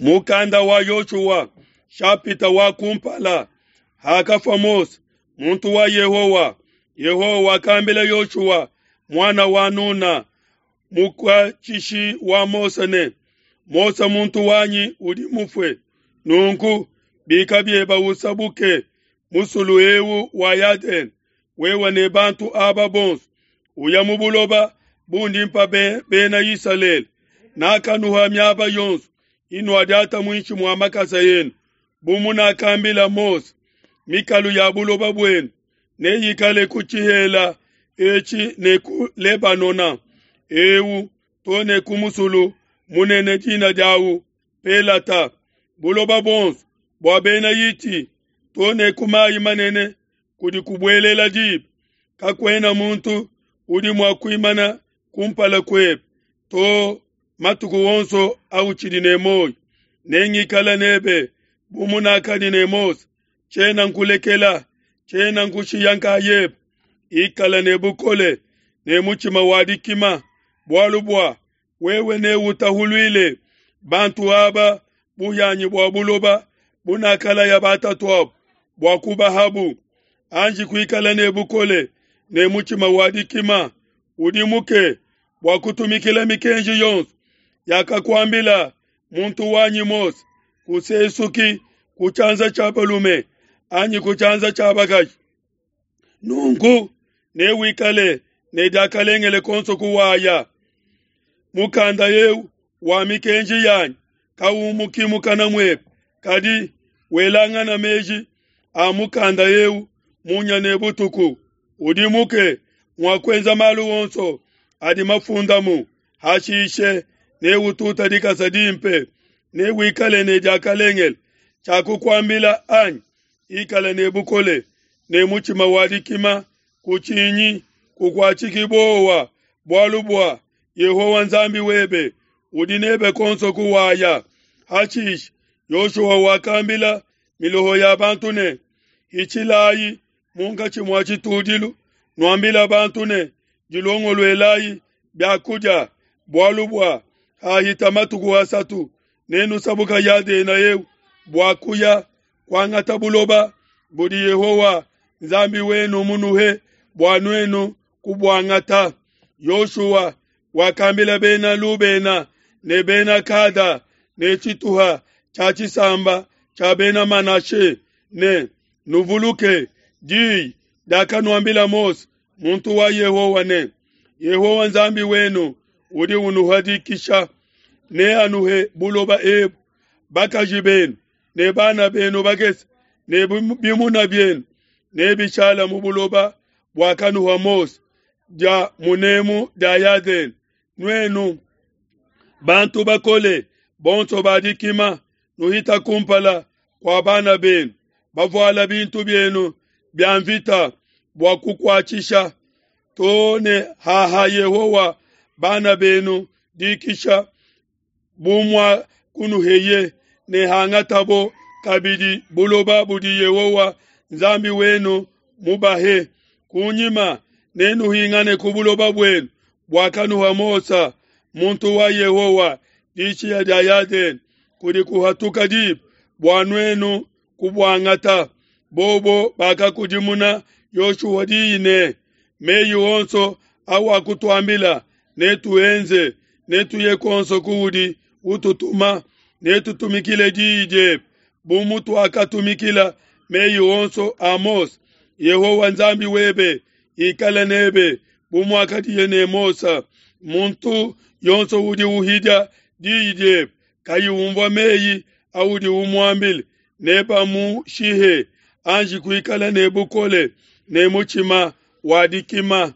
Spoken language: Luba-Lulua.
Mukanda wa Yoshua shapita wa kumpala. Hakafua Mose muntu wa Yehowa, Yehowa wakambila Yoshua muana wa Nuna mukuatshishi wa Mose ne, Mose muntu wanyi udi mufue. Nunku bika bieba usabuke musulu eu wa Yadene, wewe ne bantu aba bonso, uya mu buloba bundi mpa bena Isalele. Nakanuha miaba yonso inuadiata muinshi mua makasa enu, bu munakambila Mose. Mikalu ya buloba buenu neyikale ku tshihela etshi ne ku Lebanona eu to ne ku musulu munene dina diawu Pelata, buloba buonso bua bena Hiti to ne ku mayi manene kudi kubuelela diba. Kakuena muntu udi mua kuimana kumpala kuebe to matuku onso autshidi ne muoyo. Nengikale nebe bu munakadi ne Mose, tshiena nkulekela, tshiena nkushiya nkayebe. Ikala ne bukole ne mutshima wa dikima, bualu bua wewe neutahuluile bantu aba buhianyi bua buloba bunakalaya batatuabu bua kubahabu. Anji kuikala ne bukole ne mutshima wa dikima, udimuke bua kutumikila mikenji yonso yakakuambila muntu wanyi Mose. Kusesuki ku tshianza tshia balume anyi ku tshianza tshia bakaji. Nunku newikale ne diakalengele konso kuwaya. Mukanda eu wa mikenji yanyi kaumuki mukana muebe, kadi welangana meji a mukanda eu munya ne butuku. Udimuke mua kuenza malu onso adi mafundamu, hashishe neututa dikasa dimpe, newikale ne diakalengele. Tshiakukuambila anyi? Ikala ne bukole ne mutshima wa dikima, kutshinyi, kukuatshiki buowa, bualu bua Yehowa Nzambi webe udi nebe konso kuwaya. Hashishe Yoshua wakambila miloho ya bantu ne, Hitshilayi munkatshi mua tshitudilu, nuambila bantu ne, Dilongoluelayi bia kudia, bualu bua hahita matuku asatu nenusabuka Yadena eu bua kuya kuangata buloba budi Yehowa Nzambi wenu munuhe bua nuenu kubuangata. Yoshua wakambila bena Lubena ne bena Gada ne tshituha tshia tshisamba tshia bena Manashe ne, Nuvuluke diyi diakanuambila Mose muntu wa Yehowa ne, Yehowa Nzambi wenu udi unuha dikisha, neanuhe buloba ebu, bakaji benu ne bana benu bakese ne bimuna bienu nebishala mu buloba buakanuha Mose dia munemu dia Yadene. Nuenu bantu bakole bonso ba dikima, nuhita kumpala kua bana benu, bavuala bintu bienu bia mvita bua kukuatshisha to ne haha Yehowa bana benu dikisha bu muakunuheye, ne hangatabo kabidi buloba budi Yehowa Nzambi wenu mubahe. Kunyima nenuhingane ku buloba buenu buakanuha Mose muntu wa Yehowa dishiya dia Yadene kudi kuhatuka diba bua nuenu kubuangata. Bobo bakakudimuna Yoshua diyi ne, Meyi onso awakutuambila netuenze, netuye kuonso kuudi ututuma, netutumikile diyi diebe bu mutuakatumikila meyi onso a Mose. Yehowa Nzambi webe ikale nebe bu muakadiye ne Mose. Muntu yonso udi uhidia diyi diebe kayi umvua meyi audi umuambila, nebamushihe. Anji kuikala ne bukole ne mutshima wa dikima.